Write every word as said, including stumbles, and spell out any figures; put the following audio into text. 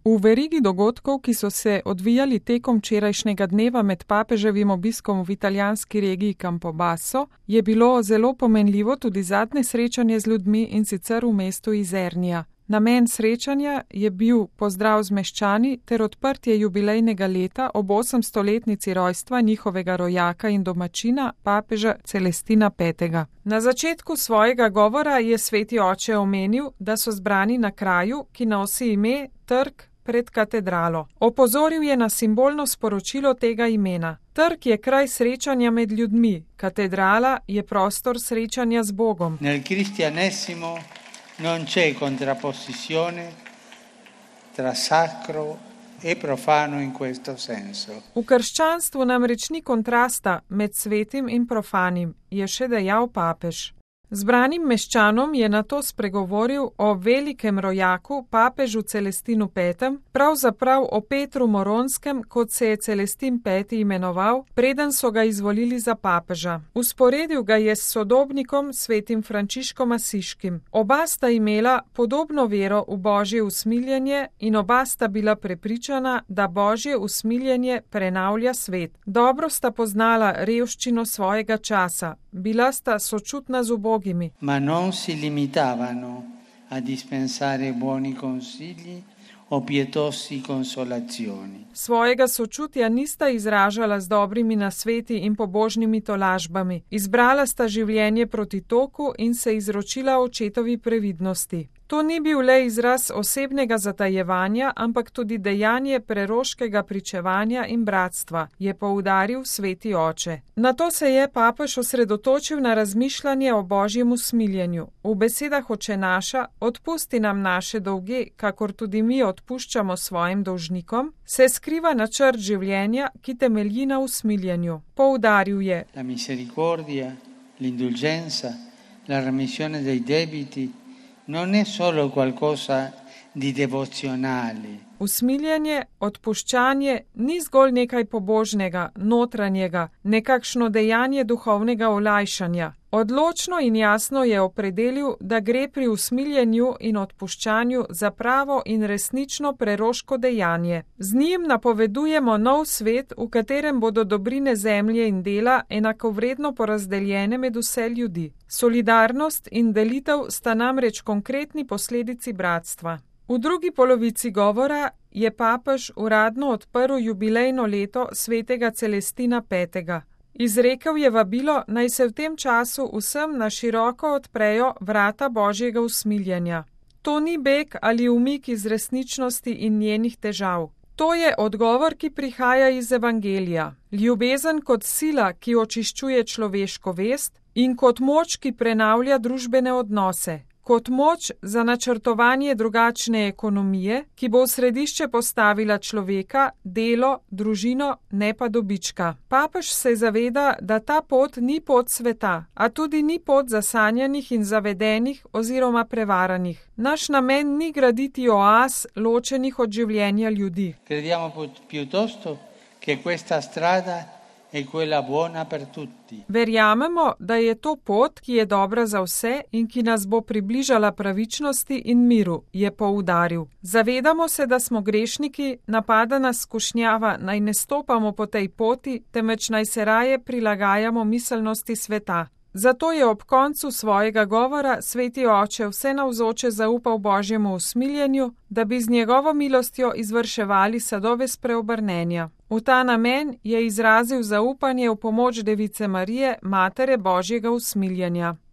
V verigi dogodkov, ki so se odvijali tekom včerajšnjega dneva med papeževim obiskom v italijanski regiji Campobasso, je bilo zelo pomenljivo tudi zadnje srečanje z ljudmi, in sicer v mestu Izernija. Namen srečanja je bil pozdrav z meščani ter odprtje jubilejnega leta ob osemstoletnici rojstva njihovega rojaka in domačina, papeža Celestina petega. Na začetku svojega govora je sveti oče omenil, da so zbrani na kraju, ki nosi ime Trg pred katedralo. Opozoril je na simbolno sporočilo tega imena. Trg je kraj srečanja med ljudmi, katedrala je prostor srečanja z Bogom. Nel cristianesimo non c'è contrapposizione tra sacro e profano in questo senso. V krščanstvu namreč ni kontrasta med svetim in profanim, je še dejal papež. Zbranim meščanom je nato spregovoril o velikem rojaku, papežu Celestinu petem, pravzaprav o Petru Moronskem, kot se je Celestin peti imenoval, preden so ga izvolili za papeža. Usporedil ga je s sodobnikom svetim Frančiškom Asiškim. Oba sta imela podobno vero v Božje usmiljenje in oba sta bila prepričana, da Božje usmiljenje prenavlja svet. Dobro sta poznala revščino svojega časa, bila sta sočutna z ubogimi. Ma non si limitavano a dispensare buoni consigli o pietosi consolazioni. Svojega sočutja nista izražala z dobrimi nasveti in pobožnimi tolažbami. Izbrala sta življenje proti toku in se izročila očetovi previdnosti. To ni bil le izraz osebnega zatajevanja, ampak tudi dejanje preroškega pričevanja in bratstva, je poudaril sveti oče. Nato se je papež osredotočil na razmišljanje o Božjem usmiljenju. V besedah Oče naša, odpusti nam naše dolge, kakor tudi mi odpuščamo svojim dolžnikom, se skriva načrt življenja, ki temelji na usmiljenju. Poudaril je: La misericordia, l'indulgenza, la remissione dei debiti non è solo qualcosa di devozionale. Usmiljenje, odpuščanje ni zgolj nekaj pobožnega, notranjega, nekakšno dejanje duhovnega olajšanja. Odločno in jasno je opredelil, da gre pri usmiljenju in odpuščanju za pravo in resnično preroško dejanje. Z njim napovedujemo nov svet, v katerem bodo dobrine zemlje in dela enakovredno porazdeljene med vse ljudi. Solidarnost in delitev sta namreč konkretni posledici bratstva. V drugi polovici govora je papež uradno odprl jubilejno leto svetega Celestina petega. Izrekel je vabilo, naj se v tem času vsem na široko odprejo vrata Božjega usmiljenja. To ni beg ali umik iz resničnosti in njenih težav. To je odgovor, ki prihaja iz Evangelija. Ljubezen kot sila, ki očiščuje človeško vest, in kot moč, ki prenavlja družbene odnose. Kot moč za načrtovanje drugačne ekonomije, ki bo v središče postavila človeka, delo, družino, ne pa dobička. Papež se zaveda, da ta pot ni pot sveta, a tudi ni pot zasanjanih in zavedenih oziroma prevaranih. Naš namen ni graditi oaz, ločenih od življenja ljudi. Crediamo piuttosto che questa strada è quella buona per tutti. Verjamemo, da je to pot, ki je dobra za vse in ki nas bo približala pravičnosti in miru, je poudaril. Zavedamo se, da smo grešniki, napada nas skušnjava, naj ne stopamo po tej poti, temveč naj se raje prilagajamo miselnosti sveta. Zato je ob koncu svojega govora sveti oče vse navzoče zaupal Božjemu usmiljenju, da bi z njegovo milostjo izvrševali sadove spreobrnenja. V ta namen je izrazil zaupanje v pomoč Device Marije, matere Božjega usmiljenja.